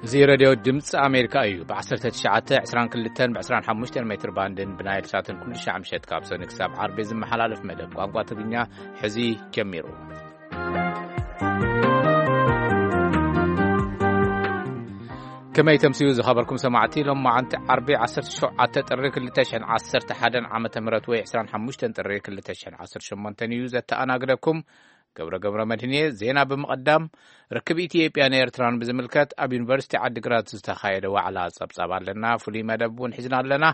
እዚ ሬድዮ ድምፂ ኣሜሪካ እዩ። ብ19፣ 22፣ ብ25 ሜትር ባንድን ብናይል ሳትን ኩሉ ሻዕ ምሸት ካብ ሰኒ ክሳብ ዓርቢ ዝመሓላለፍ መደብ ቋንቋ ትግርኛ ሕዚ ጀሚሩ። ከመይ ተምስዩ ዝኸበርኩም ሰማዕቲ፣ ሎም መዓንቲ ዓርቢ 17 ጥሪ 2011 ዓመተ ምህረት ወይ 25 ጥሪ 2018 እዩ ዘተኣናግደኩም። ገብረ ገብረ መድህን እየ። ዜና ብምቕዳም፣ ርክብ ኢትዮጵያን ኤርትራን ብዝምልከት ኣብ ዩኒቨርሲቲ ዓዲግራት ዝተኻየደ ዋዕላ ጸብጻብ ኣለና። ፍሉይ መደብ እውን ሒዝና ኣለና።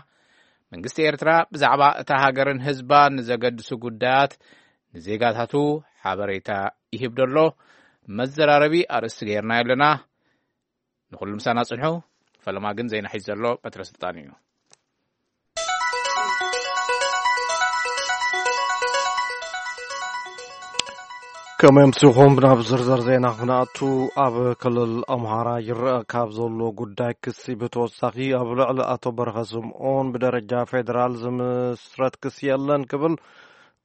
መንግስቲ ኤርትራ ብዛዕባ እታ ሃገርን ህዝባን ንዘገድሱ ጉዳያት ንዜጋታቱ ሓበሬታ ይህብ ደሎ መዘራረቢ ኣርእስቲ ገይርና ኣለና። ንኹሉ ምሳና ጽንሑ። ፈለማ ግን ዜና ሒዝ ዘሎ በትረ ስልጣን እዩ። ከመይ ኣምሲኹም? ናብ ዝርዝር ዜና ክንኣቱ፣ ኣብ ክልል ኣምሃራ ይረአ ካብ ዘሎ ጉዳይ ክሲ ብተወሳኺ፣ ኣብ ልዕሊ ኣቶ በረኸ ስምኦን ብደረጃ ፌዴራል ዝምስረት ክሲ የለን ክብል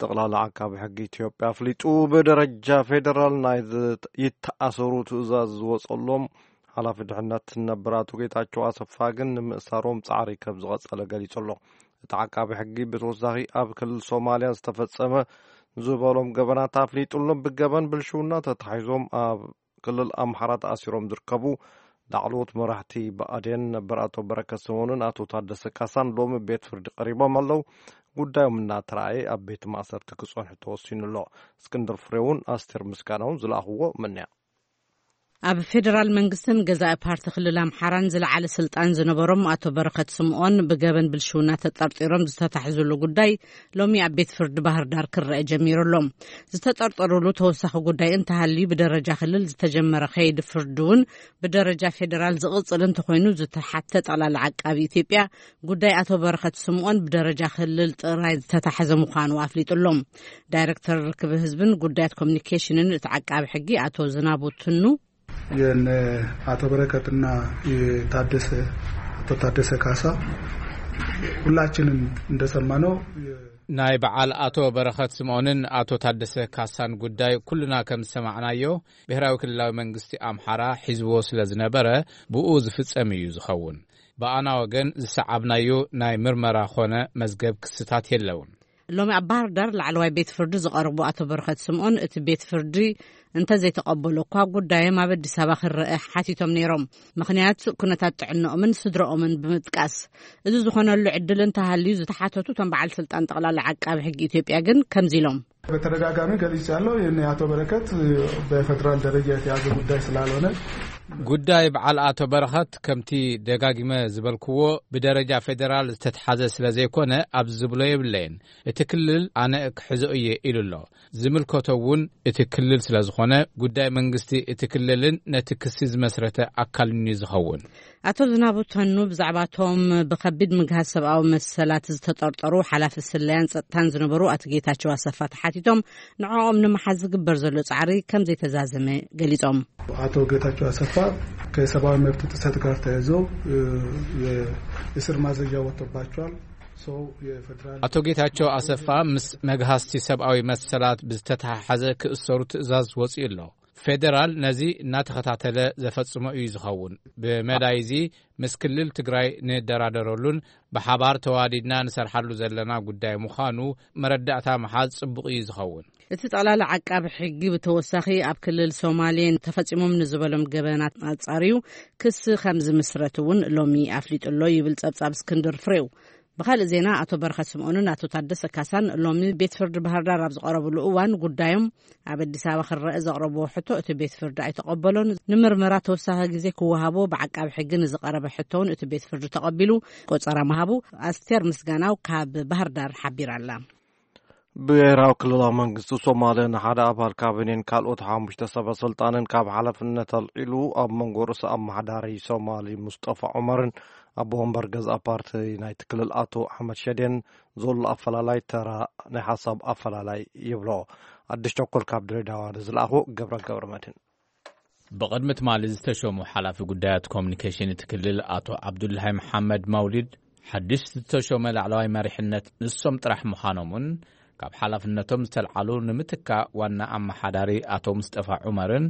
ጠቕላላ ዓቃቢ ሕጊ ኢትዮጵያ ኣፍሊጡ። ብደረጃ ፌዴራል ናይ ዝ-፣ ይተኣሰሩ ትእዛዝ ዝወጸሎም ሓላፊ ድሕነት ነበር ኣቶ ጌታቸው ኣሰፋ ግን ንምእሳሮም ጻዕሪ ከም ዝቐጸለ ገሊጹ ኣሎ። እቲ ዓቃቢ ሕጊ ብተወሳኺ ኣብ ክልል ሶማልያ ዝተፈጸመ ዝበሎም ገበናት ኣፍሊጡ ኣሎ። ብገበን ብልሽውና ተታሒዞም ኣብ ክልል ኣምሓራ ተኣሲሮም ዝርከቡ ላዕለዎት መራሕቲ ብኣዴን ነበር ኣቶ በረከት ስምኦንን ኣቶ ታደሰ ካሳን ሎሚ ቤት ፍርዲ ቀሪቦም ኣለዉ። ጉዳዮም እናተረኣየ ኣብ ቤት ማእሰርቲ ክጸንሑ ተወሲኑ ኣሎ። እስክንድር ፍሬውን ኣስቴር ምስጋናውን ዝለኣኽዎ ምንያ። ኣብ ፌዴራል መንግስትን ገዛኢ ፓርቲ ክልል ኣምሓራን ዝለዓለ ስልጣን ዝነበሮም ኣቶ በረኸት ስምኦን ብገበን ብልሽውና ተጠርጢሮም ዝተታሕዙሉ ጉዳይ ሎሚ ኣብ ቤት ፍርዲ ባህር ዳር ክረአ ጀሚሩ ኣሎ። ዝተጠርጠሩሉ ተወሳኺ ጉዳይ እንተሃልዩ፣ ብደረጃ ክልል ዝተጀመረ ከይዲ ፍርዲ እውን ብደረጃ ፌዴራል ዝቕጽል እንተኾይኑ፣ ዝተሓተ ጠቕላላ ዓቃቢ ኢትዮጵያ ጉዳይ ኣቶ በረኸት ስምኦን ብደረጃ ክልል ጥራይ ዝተታሕዘ ምዃኑ ኣፍሊጡ ኣሎ። ዳይሬክተር ርክብ ህዝብን ጉዳያት ኮሚኒኬሽንን እቲ ዓቃቢ ሕጊ ኣቶ ዝናቡ ትኑ፣ የነ አቶ በረከትና የታደሰ፣ አቶ ታደሰ ካሳ ሁላችንም እንደሰማነው የ- ናይ በዓል ኣቶ በረኸት ስምኦንን ኣቶ ታደሰ ካሳን ጉዳይ ኩልና ከም ዝሰማዕናዮ፣ ብሔራዊ ክልላዊ መንግስቲ ኣምሓራ ሒዝዎ ስለ ዝነበረ፣ ብኡ ዝፍጸም እዩ ዝኸውን። ብኣና ወገን ዝሰዓብናዮ ናይ ምርመራ ኾነ መዝገብ ክስታት የለውን። ሎሚ ኣብ ባህር ዳር ላዕለዋይ ቤት ፍርዲ ዝቐረቡ ኣቶ በረኸት ስምኦን፣ እቲ ቤት ፍርዲ እንተዘይተቐበሎ እኳ፣ ጉዳዮም ኣብ ኣዲስ ኣበባ ክረአ ሓቲቶም ነይሮም። ምኽንያት፣ ኩነታት ጥዕንኦምን ስድረኦምን ብምጥቃስ፣ እዚ ዝኾነሉ ዕድል እንተሃልዩ፣ ዝተሓተቱ እቶም በዓል ስልጣን ጠቕላላ ዓቃቢ ሕጊ ኢትዮጵያ ግን ከምዚ ኢሎም። በተደጋጋሚ ገልጽ ያለው ይህን የአቶ በረከት በፌዴራል ደረጃ የተያዘ ጉዳይ ስላልሆነ፣ ጉዳይ በዓል ኣቶ በረኸት፣ ከምቲ ደጋጊመ ዝበልክዎ፣ ብደረጃ ፌዴራል ዝተትሓዘ ስለ ዘይኮነ፣ ኣብዚ ዝብሎ የብለይን። እቲ ክልል ኣነ ክሕዞ እየ ኢሉ ኣሎ። ዝምልከቶ እውን እቲ ክልል ስለ ዝኾነ፣ ጉዳይ መንግስቲ እቲ ክልልን ነቲ ክሲ ዝመስረተ ኣካልን እዩ ዝኸውን። ኣቶ ዝናቡ ተኑ ብዛዕባ እቶም ብኸቢድ ምግሃስ ሰብኣዊ መሰላት ዝተጠርጠሩ ሓላፊ ስለያን ጸጥታን ዝነበሩ ኣቶ ጌታቸው ኣሰፋ ተሓቲቶም፣ ንዕኦም ንምሓዝ ዝግበር ዘሎ ጻዕሪ ከም ዘይተዛዘመ ገሊጾም። አቶ ጌታቸው አሰፋ ከሰብአዊ መብት ጥሰት ጋር ተያይዞ፣ እ፣ የእስር ማዘዣ ወጥቶባቸዋል። ሰው የፌዴራል ኣቶ ጌታቸው ኣሰፋ ምስ መግሃስቲ ሰብኣዊ መሰላት ብዝተተሓሓዘ ክእሰሩ ትእዛዝ ወጺኡ ኣሎ። ፌዴራል ነዚ እናተኸታተለ ዘፈጽሞ እዩ ዝኸውን። ብመዳይ እዚ ምስ ክልል ትግራይ ንደራደረሉን ብሓባር ተዋዲድና ንሰርሓሉ ዘለና ጉዳይ ምዃኑ መረዳእታ ምሓዝ ጽቡቕ እዩ ዝኸውን። እቲ ጠቕላላ ዓቃቢ ሕጊ ብተወሳኺ ኣብ ክልል ሶማሌ ተፈጺሞም ንዝበሎም ገበናት ኣጻርዩ ክሲ ከም ዝምስረት እውን ሎሚ ኣፍሊጡ ኣሎ ይብል ጸብጻብ እስክንድር ፍሬው። ብኻልእ ዜና፣ ኣቶ በረኸት ስምኦንን ኣቶ ታደሰ ካሳን ሎሚ ቤት ፍርዲ ባህር ዳር ኣብ ዝቐረብሉ እዋን፣ ጉዳዮም ኣብ ኣዲስ ኣበባ ክረአ ዘቕረብዎ ሕቶ እቲ ቤት ፍርዲ ኣይተቐበሎን። ንምርመራ ተወሳኺ ግዜ ክወሃቦ ብዓቃቢ ሕጊ ንዝቐረበ ሕቶ እውን እቲ ቤት ፍርዲ ተቐቢሉ ቆጸራ ምሃቡ ኣስቴር ምስጋናው ካብ ባህር ዳር ሓቢራ ኣላ። ብሄራዊ ክልላዊ መንግስቲ ሶማልያ ንሓደ ኣባል ካቢኔን ካልኦት ሓሙሽተ ሰበ ስልጣንን ካብ ሓላፍነት ኣልዒሉ፣ ኣብ መንጎ ርእሰ ኣመሓዳሪ ሶማሊ ሙስጠፋ ዑመርን ኣቦ ወንበር ገዝኣ ፓርቲ ናይቲ ክልል ኣቶ ኣሕመድ ሸዴን ዘሎ ኣፈላላይ ተራ ናይ ሓሳብ ኣፈላላይ ይብሎ። ኣዲስ ቸኮል ካብ ድሬዳዋ ንዝለኣኹ ገብረ ገብረ መድህን። ብቕድሚ ትማሊ ዝተሾሙ ሓላፊ ጉዳያት ኮሚኒኬሽን እቲ ክልል ኣቶ ዓብዱላሂ መሓመድ መውሊድ፣ ሓድሽ ዝተሾመ ላዕለዋይ መሪሕነት ንሶም ጥራሕ ምዃኖምን ካብ ሓላፍነቶም ዝተልዓሉ ንምትካእ ዋና ኣመሓዳሪ ኣቶ ሙስጠፋ ዑመርን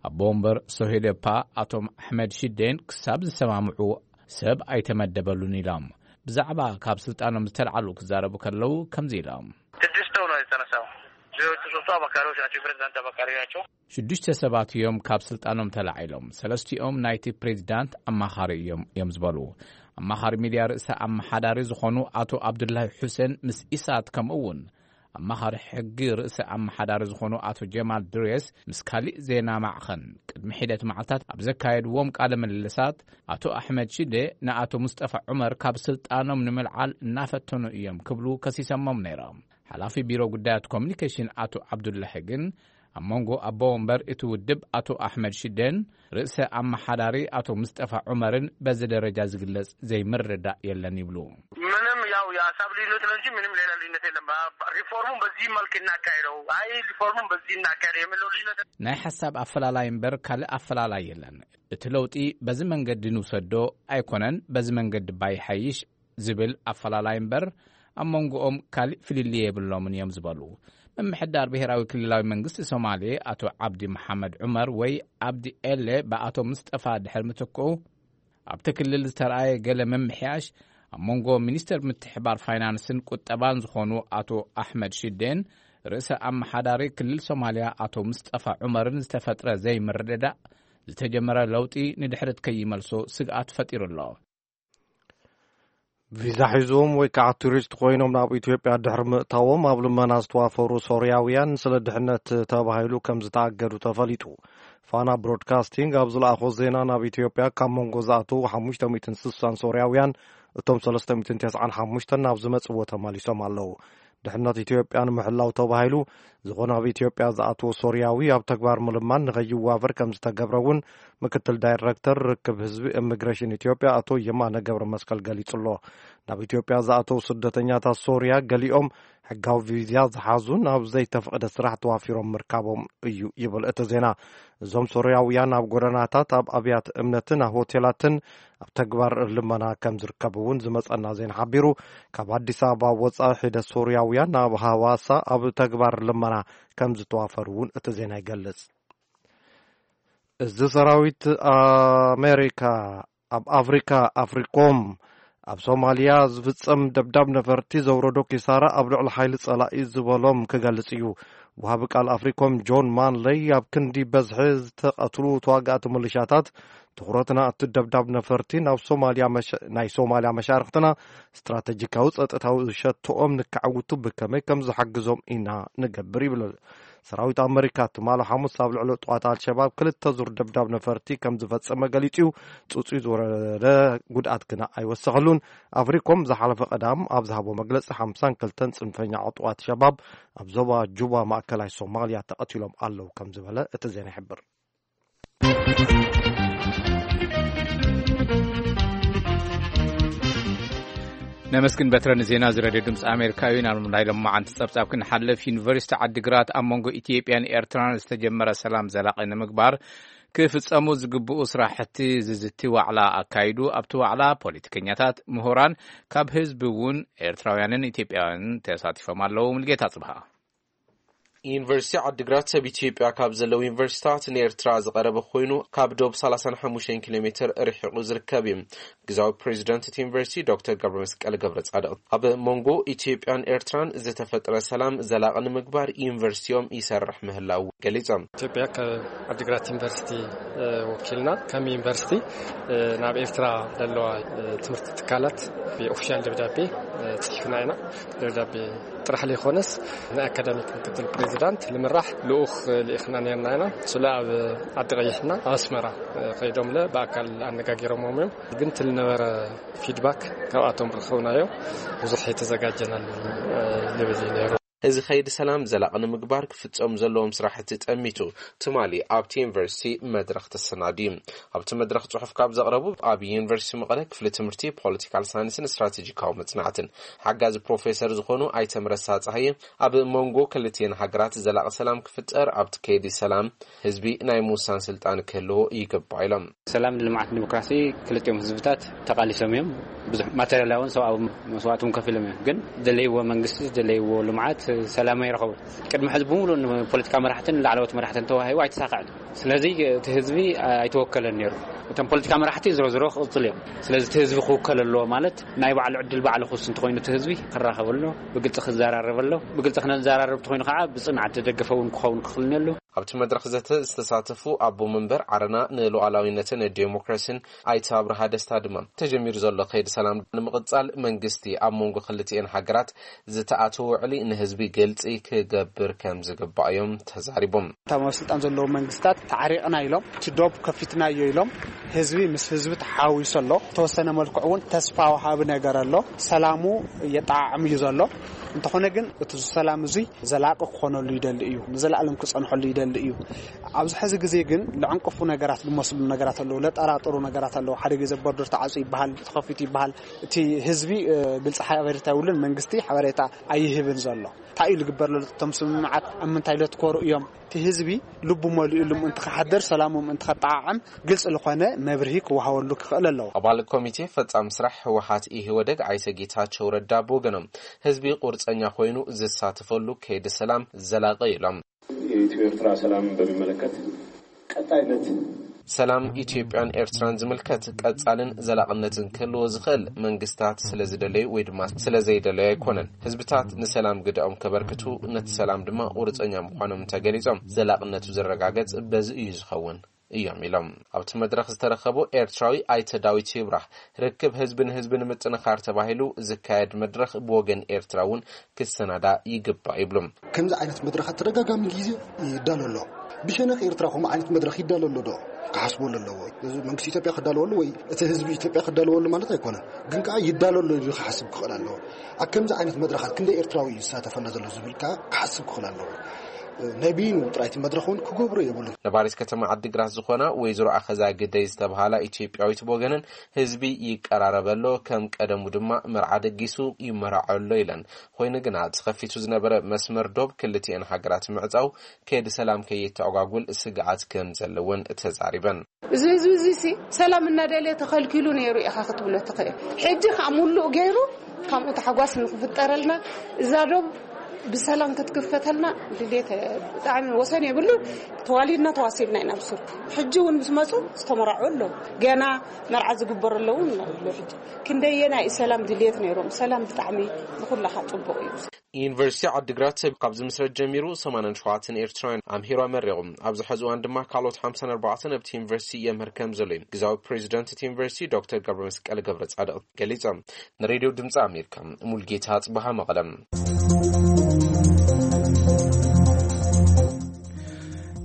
ኣቦ ወንበር ሶሄደፓ ኣቶም ኣሕመድ ሽዴን ክሳብ ዝሰማምዑ ሰብ ኣይተመደበሉን ኢሎም። ብዛዕባ ካብ ስልጣኖም ዝተልዓሉ ክዛረቡ ከለዉ ከምዚ ኢሎም። ስድስት ሰው ነው የተነሳው። ሌሎቹ ሶስቱ አማካሪዎች ናቸው፣ የፕሬዝዳንት አማካሪ ናቸው። ሽዱሽተ ሰባት እዮም ካብ ስልጣኖም ተላዒሎም። ሰለስቲኦም ናይቲ ፕሬዝዳንት ኣማኻሪ እዮም እዮም ዝበሉ። ኣማኻሪ ሚድያ ርእሰ ኣመሓዳሪ ዝኾኑ ኣቶ ኣብዱላሂ ሑሴን ምስ ኢሳት፣ ከምኡ እውን ኣማኻሪ ሕጊ ርእሰ ኣመሓዳሪ ዝኾኑ ኣቶ ጀማል ድሬስ ምስ ካሊእ ዜና ማዕኸን ቅድሚ ሒደት መዓልታት ኣብ ዘካየድዎም ቃለ ምልልሳት፣ ኣቶ ኣሕመድ ሽዴ ንኣቶ ሙስጠፋ ዑመር ካብ ስልጣኖም ንምልዓል እናፈተኑ እዮም ክብሉ ከሲሰሞም ነይሮም። ሓላፊ ቢሮ ጉዳያት ኮሚኒኬሽን ኣቶ ዓብዱላሂ ግን ኣብ መንጎ ኣቦ ወንበር እቲ ውድብ ኣቶ ኣሕመድ ሽዴን ርእሰ ኣመሓዳሪ ኣቶ ሙስጠፋ ዑመርን በዚ ደረጃ ዝግለጽ ዘይምርዳእ የለን ይብሉ። ምንም ያው የሀሳብ ልዩነት ነው እንጂ ምንም ሌላ ልዩነት የለም። ሪፎርሙን በዚህ መልክ እናካሄደው፣ አይ ሪፎርሙን በዚህ እናካሄደው የሚለው ልዩነት። ናይ ሓሳብ ኣፈላላይ እምበር ካልእ ኣፈላላይ የለን። እቲ ለውጢ በዚ መንገዲ ንውሰዶ ኣይኮነን፣ በዚ መንገዲ ባይሓይሽ ዝብል ኣፈላላይ እምበር ኣብ መንጎኦም ካልእ ፍልልይ የብሎምን እዮም ዝበሉ። ምምሕዳር ብሄራዊ ክልላዊ መንግስቲ ሶማሌ ኣቶ ዓብዲ መሓመድ ዑመር ወይ ዓብዲ ኤሌ ብኣቶ ሙስጠፋ ድሕሪ ምትክኡ ኣብቲ ክልል ዝተረኣየ ገለ ምምሕያሽ ኣብ መንጎ ሚኒስተር ምትሕባር ፋይናንስን ቁጠባን ዝኾኑ ኣቶ ኣሕመድ ሽዴን ርእሰ ኣመሓዳሪ ክልል ሶማልያ ኣቶ ሙስጠፋ ዑመርን ዝተፈጥረ ዘይምርድዳእ ዝተጀመረ ለውጢ ንድሕሪት ከይመልሶ ስግኣት ፈጢሩ ኣሎ። ቪዛ ሒዞም ወይ ከዓ ቱሪስት ኮይኖም ናብ ኢትዮጵያ ድሕሪ ምእታዎም ኣብ ልመና ዝተዋፈሩ ሶርያውያን ስለ ድሕነት ተባሂሉ ከም ዝተኣገዱ ተፈሊጡ። ፋና ብሮድካስቲንግ ኣብ ዝለኣኾ ዜና፣ ናብ ኢትዮጵያ ካብ መንጎ ዝኣተዉ ሓሙሽተ ሚእትን ስሳን ሶርያውያን፣ እቶም ሰለስተ ሚእትን ተስዓን ሓሙሽተን ናብ ዝመጽዎ ተመሊሶም ኣለዉ። ድሕነት ኢትዮጵያ ንምሕላው ተባሂሉ፣ ዝኾነ ኣብ ኢትዮጵያ ዝኣተወ ሶርያዊ ኣብ ተግባር ምልማን ንኸይዋፈር ከም ዝተገብረ እውን ምክትል ዳይሬክተር ርክብ ህዝቢ ኢሚግሬሽን ኢትዮጵያ ኣቶ የማነ ገብረ መስቀል ገሊጹ ኣሎ። ናብ ኢትዮጵያ ዝኣተዉ ስደተኛታት ሶርያ ገሊኦም ሕጋዊ ቪዛ ዝሓዙን ኣብ ዘይተፈቕደ ስራሕ ተዋፊሮም ምርካቦም እዩ ይብል እቲ ዜና። እዞም ሶርያውያን ኣብ ጎደናታት፣ ኣብ ኣብያተ እምነትን ኣብ ሆቴላትን ኣብ ተግባር ልመና ከም ዝርከቡ እውን ዝመጸና ዜና ሓቢሩ። ካብ ኣዲስ ኣበባ ወጻኢ ሒደት ሶርያውያን ናብ ሃዋሳ ኣብ ተግባር ልመና ከም ዝተዋፈሩ እውን እቲ ዜና ይገልጽ። እዚ ሰራዊት ኣሜሪካ ኣብ ኣፍሪካ፣ ኣፍሪኮም፣ ኣብ ሶማልያ ዝፍጸም ደብዳብ ነፈርቲ ዘውረዶ ኪሳራ ኣብ ልዕሊ ሓይሊ ጸላኢ ዝበሎም ክገልጽ እዩ። ወሃቢ ቃል ኣፍሪኮም ጆን ማንለይ ኣብ ክንዲ በዝሒ ዝተቐትሉ ተዋጋእቲ ምልሻታት፣ ትኹረትና እቲ ደብዳብ ነፈርቲ ናብ ሶማልያ መሸ-፣ ናይ ሶማልያ መሻርኽትና ስትራተጂካዊ ጸጥታዊ ሸቶኦም ንከዕውቱ ብከመይ ከም ዝሓግዞም ኢና ንገብር ይብል። ሰራዊት ኣመሪካ ትማሊ ሓሙስ ኣብ ልዕሊ ጥዋት ኣልሸባብ ክልተ ዙር ደብዳብ ነፈርቲ ከም ዝፈጸመ ገሊጹ እዩ። ጽጹይ ዝወረደ ጉድኣት ግና ኣይወሰኸሉን። ኣፍሪኮም ዝሓለፈ ቀዳም ኣብ ዝሃቦ መግለጺ ሓምሳን ክልተን ጽንፈኛ ዕጡዋት ሸባብ ኣብ ዞባ ጁባ ማእከላይ ሶማልያ ተቐቲሎም ኣለዉ ከም ዝበለ እቲ ዜና ይሕብር። ነመስግን በትረ ንዜና እዚ ሬድዮ ድምፂ ኣሜሪካ እዩ። ናብ ናይ ሎማዓንቲ ጸብጻብ ክንሓልፍ፣ ዩኒቨርሲቲ ዓዲግራት ኣብ መንጎ ኢትዮጵያን ኤርትራን ዝተጀመረ ሰላም ዘላቒ ንምግባር ክፍጸሙ ዝግብኡ ስራሕቲ ዝዝቲ ዋዕላ ኣካይዱ። ኣብቲ ዋዕላ ፖለቲከኛታት፣ ምሁራን፣ ካብ ህዝቢ እውን ኤርትራውያንን ኢትዮጵያውያንን ተሳቲፎም ኣለዉ። ሙልጌታ ጽብሃ። ዩኒቨርሲቲ ዓዲግራት ሰብ ኢትዮጵያ ካብ ዘለዉ ዩኒቨርሲቲታት ንኤርትራ ዝቐረበ ኮይኑ፣ ካብ ዶብ ሰላሳን ሓሙሽተን ኪሎ ሜትር ርሒቑ ዝርከብ እዩ። ግዛዊ ፕሬዚደንት እቲ ዩኒቨርሲቲ ዶክተር ገብረመስቀል ገብረጻድቕ ኣብ መንጎ ኢትዮጵያን ኤርትራን ዝተፈጥረ ሰላም ዘላቒ ንምግባር ዩኒቨርሲቲኦም ይሰርሕ ምህላው ገሊጾም። ኢትዮጵያ ካብ ዓዲግራት ዩኒቨርሲቲ፣ እ፣ ወኪልና ከም ዩኒቨርሲቲ፣ እ፣ ናብ ኤርትራ ዘለዋ፣ እ፣ ትምህርቲ ትካላት ብኦፊሻል ደብዳቤ፣ እ፣ ጽሒፍና ኢና። ደብዳቤ ጥራሕ ዘይኮነስ፣ ንኣካዳሚክ ምክትል ፕሬዚዳንት ልምራሕ ልኡኽ ልኢኽና ነርና ኢና። ስለ ኣብ ዓዲ ቀይሕና ኣብ ኣስመራ ከይዶምለ ብኣካል ኣነጋጊሮምዎም እዮም። ግን እቲ ልነበረ ፊድባክ ካብኣቶም ረኸብናዮ። ብዙሕ የተዘጋጀናሉ ልብል እዩ ነይሩ። እዚ ኸይዲ ሰላም ዘላቒ ንምግባር ክፍጸም ዘለዎም ስራሕቲ ጠሚቱ ትማሊ ኣብቲ ዩኒቨርሲቲ መድረኽ ተሰናድዩ። ኣብቲ መድረኽ ጽሑፍ ካብ ዘቕረቡ፣ ኣብ ዩኒቨርሲቲ መቐለ ክፍሊ ትምህርቲ ፖለቲካል ሳይንስን ስትራቴጂካዊ መጽናዕትን ሓጋዚ ፕሮፌሰር ዝኾኑ ኣይተ ምረሳ ጸሃየ፣ ኣብ መንጎ ክልቲኤን ሃገራት ዘላቒ ሰላም ክፍጠር ኣብቲ ከይዲ ሰላም ህዝቢ ናይ ምውሳን ስልጣን ክህልዎ ይግባእ ኢሎም። ሰላም፣ ልምዓት፣ ዲሞክራሲ ክልቲኦም ህዝብታት ተቓሊሶም እዮም። ብዙሕ ማቴሪያላውን ሰብኣዊ መስዋእቲ እውን ከፊሎም እዮም። ግን ዝደለይዎ መንግስቲ፣ ዝደለይዎ ልምዓት፣ ሰላም ኣይረኸቡን። ቅድሚ ሕዚ ብምሉእ ንፖለቲካ መራሕትን ላዕለዎት መራሕትን ተዋሂቡ ኣይተሳካዕን። ስለዚ እቲ ህዝቢ ኣይተወከለን ነይሩ። እቶም ፖለቲካ መራሕቲ ዝሮ ዝሮ ክቕፅል እዮም። ስለዚ እቲ ህዝቢ ክውከል ኣለዎ ማለት ናይ ባዕሉ ዕድል ባዕሉ ክውስን እንተኾይኑ እቲ ህዝቢ ክራኸብ ኣሎ፣ ብግልፂ ክዘራረብ ኣሎ። ብግልፂ ክነዘራረብ እንተኾይኑ ከዓ ብፅንዓት ዝደገፈ እውን ክኸውን ክኽእል ኣሎ። ኣብቲ መድረኽ ዘተ ዝተሳተፉ ኣቦ መንበር ዓረና ንሉዓላዊነትን ዴሞክራሲን ኣይተ ኣብርሃ ደስታ ድማ ተጀሚሩ ዘሎ ከይዲ ሰላም ንምቕፃል መንግስቲ ኣብ መንጎ ክልቲኤን ሃገራት ዝተኣተወ ውዕሊ ንህዝቢ ግልፂ ክገብር ከም ዝግባእ እዮም ተዛሪቦም። እቶም ኣብ ስልጣን ዘለዉ መንግስታት ተዓሪቕና ኢሎም፣ እቲ ዶብ ከፊትናዮ ኢሎም፣ ህዝቢ ምስ ህዝቢ ተሓዋዊሱ ኣሎ። ተወሰነ መልክዕ እውን ተስፋ ወሃቢ ነገር ኣሎ። ሰላሙ የጠዓዕም እዩ ዘሎ። እንተኾነ ግን እቲ ሰላም እዙይ ዘላቂ ክኾነሉ ይደሊ እዩ፣ ንዘለኣለም ክጸንሐሉ ይደሊ እዩ። ኣብዚ ሕዚ ግዜ ግን ለዕንቅፉ ነገራት፣ ዝመስሉ ነገራት ኣለዉ፣ ለጠራጥሩ ነገራት ኣለዉ። ሓደ ግዜ ቦርደር ተዓጽዩ ይበሃል፣ ተኸፊቱ ይበሃል። እቲ ህዝቢ ግልፂ ሓበሬታ የብሉን፣ መንግስቲ ሓበሬታ ኣይህብን ዘሎ። እንታይ እዩ ዝግበር ዘሎ? እቶም ስምምዓት ኣብ ምንታይ ለትኮሩ እዮም? እቲ ህዝቢ ልቡ መሊኡሉ ምእንቲ ክሓድር፣ ሰላሙ ምእንቲ ከጠዓዕም ግልፂ ዝኾነ መብርሂ ክወሃበሉ ክኽእል ኣለዎ። ኣባል ኮሚቴ ፈጻሚ ስራሕ ህወሓት ኢህወደግ ኣይተ ጌታቸው ረዳ ብወገኖም ህዝቢ ቁርፀኛ ኮይኑ ዝሳተፈሉ ከይዲ ሰላም ዘላቂ ኢሎም። የኢትዮ ኤርትራ ሰላም በሚመለከት ቀጣይነት ሰላም ኢትዮጵያን ኤርትራን ዝምልከት ቀጻልን ዘላቕነትን ክህልዎ ዝኽእል መንግስታት ስለ ዝደለዩ ወይ ድማ ስለ ዘይደለዩ ኣይኮነን። ህዝብታት ንሰላም ግደኦም ከበርክቱ፣ ነቲ ሰላም ድማ ቁርፀኛ ምዃኖም እንተገሊጾም ዘላቕነቱ ዝረጋገጽ በዚ እዩ ዝኸውን እዮም ኢሎም። ኣብቲ መድረኽ ዝተረኸቡ ኤርትራዊ ኣይተ ዳዊት ይብራህ ርክብ ህዝቢ ንህዝቢ ንምጥንኻር ተባሂሉ ዝካየድ መድረኽ ብወገን ኤርትራ እውን ክሰናዳ ይግባእ ይብሉ። ከምዚ ዓይነት መድረኻት ተደጋጋሚ ግዜ ይዳሎ ኣሎ። ብሸነኽ ኤርትራ ከምኡ ዓይነት መድረኽ ይዳሎ ኣሎ ዶ ክሓስበሉ ኣለዎ። መንግስቲ ኢትዮጵያ ክዳለወሉ ወይ እቲ ህዝቢ ኢትዮጵያ ክዳለወሉ ማለት ኣይኮነን፣ ግን ከዓ ይዳሎ ኣሎ ኢሉ ክሓስብ ክኽእል ኣለዎ። ኣብ ከምዚ ዓይነት መድረኻት ክንደይ ኤርትራዊ እዩ ዝሳተፍ ኣሎ ዘሎ ዝብል ከዓ ክሓስብ ክኽእል ኣለዎ። ናይ ብይኑ ጥራይቲ መድረኽ እውን ክገብሮ የብሉን። ነባሪት ከተማ ዓዲግራት ዝኾና ወይዘሮ ኣኸዛ ግደይ ዝተብሃላ ኢትዮጵያዊት ብወገነን ህዝቢ ይቀራረብ ኣሎ፣ ከም ቀደሙ ድማ መርዓ ደጊሱ ይመራዖ ኣሎ ኢለን። ኮይኑ ግና ተኸፊቱ ዝነበረ መስመር ዶብ ክልቲኤን ሃገራት ምዕጻው ከይዲ ሰላም ከየተኣጓጉል ስግኣት ከም ዘለወን ተዛሪበን። እዚ ህዝቢ እዚ ሲ ሰላም እናደለየ ተኸልኪሉ ነይሩ ኢኻ ክትብሎ ትኽእል። ሕጂ ከዓ ሙሉእ ገይሩ ካብኡ ታሕጓስ ንክፍጠረልና እዛ ዶብ ብሰላም ክትክፈተልና ድሌት ብጣዕሚ ወሰን የብሉ። ተዋሊድና ተዋሲብና ኢና ብሱር። ሕጂ እውን ምስ መፁ ዝተመራዑ ኣለዉ። ገና መርዓ ዝግበሩ ኣለዉ ኣሎ። ሕጂ ክንደየናይ ሰላም ድሌት ነይሮም። ሰላም ብጣዕሚ ንኩላኻ ፅቡቅ እዩ። ዩኒቨርሲቲ ዓዲግራት ካብ ዝምስረት ጀሚሩ ሰማንያን ሸውዓተን ኤርትራውያን ኣምሂሩ ኣመሪቑ። ኣብዚ ሕዚ እዋን ድማ ካልኦት ሓምሳን ኣርባዕተን ኣብቲ ዩኒቨርሲቲ የምህር ከም ዘሎ እዩ ግዛዊ ፕሬዚደንት እቲ ዩኒቨርሲቲ ዶክተር ገብረመስቀል ገብረጻድቕ ገሊጾም። ንሬድዮ ድምፂ ኣሜሪካ ሙልጌታ ኣጽበሃ መቐለም።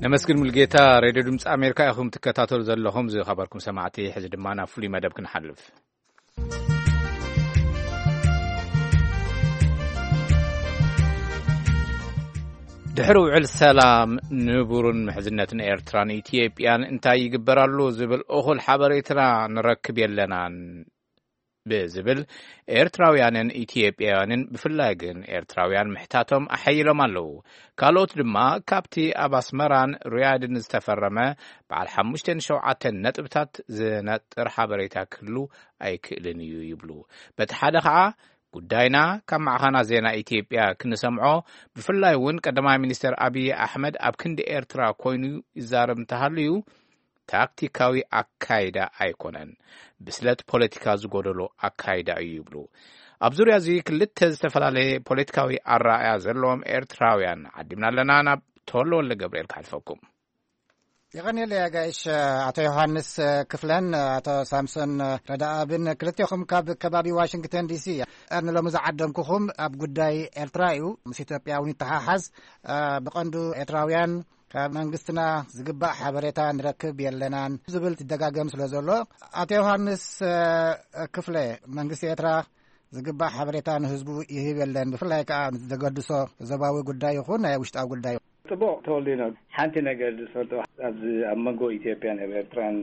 ነመስግን ሙልጌታ። ሬድዮ ድምፂ ኣሜሪካ ኢኹም ትከታተሉ ዘለኹም ዝኸበርኩም ሰማዕቲ። ሕዚ ድማ ናብ ፍሉይ መደብ ክንሓልፍ። ድሕሪ ውዕል ሰላም ንቡርን ምሕዝነትን ኤርትራን ኢትዮጵያን እንታይ ይግበር ኣሎ ዝብል እኹል ሓበሬታ ንረክብ የለናን ብዝብል ኤርትራውያንን ኢትዮጵያውያንን ብፍላይ ግን ኤርትራውያን ምሕታቶም ኣሐይሎም ኣለዉ። ካልኦት ድማ ካብቲ ኣብ ኣስመራን ሪያድን ዝተፈረመ በዓል ሓሙሽተን ሸውዓተን ነጥብታት ዝነጥር ሓበሬታ ክህሉ ኣይክእልን እዩ ይብሉ። በቲ ሓደ ኸዓ ጉዳይና ካብ ማዕኸናት ዜና ኢትዮጵያ ክንሰምዖ፣ ብፍላይ እውን ቀዳማይ ሚኒስተር ኣብይ ኣሕመድ ኣብ ክንዲ ኤርትራ ኮይኑ ይዛረብ እንተሃልዩ ታክቲካዊ ኣካይዳ ኣይኮነን፣ ብስለት ፖለቲካ ዝጎደሎ ኣካይዳ እዩ ይብሉ። ኣብ ዙርያ እዚ ክልተ ዝተፈላለየ ፖለቲካዊ ኣረኣእያ ዘለዎም ኤርትራውያን ዓዲምና ኣለና። ናብ ተወልደ ወልደ ገብርኤል ክሓልፈኩም። የቐንየለይ ኣጋይሽ ኣቶ ዮሃንስ ክፍለን ኣቶ ሳምሶን ረዳኣብን ክልቴኹም ካብ ከባቢ ዋሽንግተን ዲሲ። ንሎሚ ዝዓደምኩኹም ኣብ ጉዳይ ኤርትራ እዩ። ምስ ኢትዮጵያ እውን ይተሓሓዝ። ብቐንዱ ኤርትራውያን ካብ መንግስትና ዝግባእ ሓበሬታ ንረክብ የለናን ዝብል ይደጋገም ስለ ዘሎ ኣቶ ዮሃንስ ክፍለ መንግስቲ ኤርትራ ዝግባእ ሓበሬታ ንህዝቡ ይህብ የለን፣ ብፍላይ ከዓ ንዘገድሶ ዞባዊ ጉዳይ ይኹን ናይ ውሽጣዊ ጉዳይ። ጽቡቕ ተወልዲኖ፣ ሓንቲ ነገር ዝፈልጦ ኣብዚ ኣብ መንጎ ኢትዮጵያን ኣብ ኤርትራን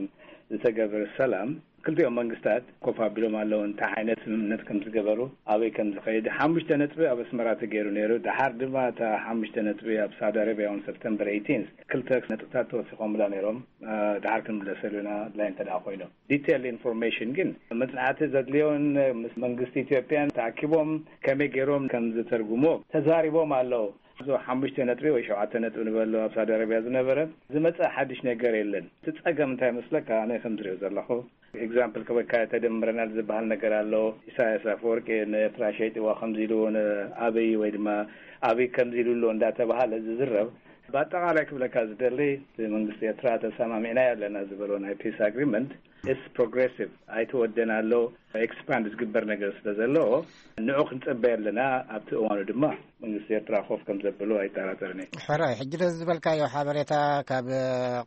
ዝተገበረ ሰላም ክልቲኦም መንግስታት ኮፍ ኣቢሎም ኣለዉ፣ እንታይ ዓይነት ስምምነት ከም ዝገበሩ፣ ኣበይ ከም ዝኸይድ። ሓሙሽተ ነጥቢ ኣብ ኣስመራ ተገይሩ ነይሩ። ደሓር ድማ እታ ሓሙሽተ ነጥቢ ኣብ ሳውዲ ኣረብያ እውን ሰፕተምበር ኤይቲን ክልተ ነጥብታት ተወሲኾምላ ነይሮም። እ፣ ደሓር ክንምለሰሉ ኢና፣ ኣድላይ እንተ ደኣ ኮይኑ። ዲቴል ኢንፎርሜሽን ግን፣ መጽናዕቲ ዘድልዮን ምስ መንግስቲ ኢትዮጵያን ተኣኪቦም ከመይ ገይሮም ከም ዝተርጉሞ ተዛሪቦም ኣለዉ። እዚ ሓሙሽተ ነጥቢ ወይ ሸውዓተ ነጥቢ ንበሎ ኣብ ሳውዲ ኣረብያ ዝነበረ ዝመጸ ሓድሽ ነገር የለን። እቲ ጸገም እንታይ መስለካ? ኣነ ከም ዝሪኦ ዘለኹ፣ ኤግዛምፕል ክበካ፣ ተደምረናል ዝበሃል ነገር ኣሎ። ኢሳያስ ኣፈወርቂ ንኤርትራ ሸይጥዋ ከምዚ ኢሉ፣ ንኣብይ ወይ ድማ ኣብይ ከምዚ ኢሉ ኣሎ እንዳተባሃለ ዝዝረብ፣ ብኣጠቓላይ ክብለካ ዝደሊ፣ እቲ መንግስቲ ኤርትራ ተሰማሚዕናዮ ኣለና ዝበሎ ናይ ፒስ ኣግሪመንት ኢስ ፕሮግሬሲቭ፣ ኣይተወደን ኣሎ፣ ኤክስፓንድ ዝግበር ነገር ስለ ዘለዎ፣ ንዑ ክንጽበይ ኣለና። ኣብቲ እዋኑ ድማ መንግስቲ ኤርትራ ኮፍ ከም ዘብሉ ኣይጠራጠርን እየ። ሕራይ፣ ሕጂ ነዚ ዝበልካዮ ሓበሬታ ካብ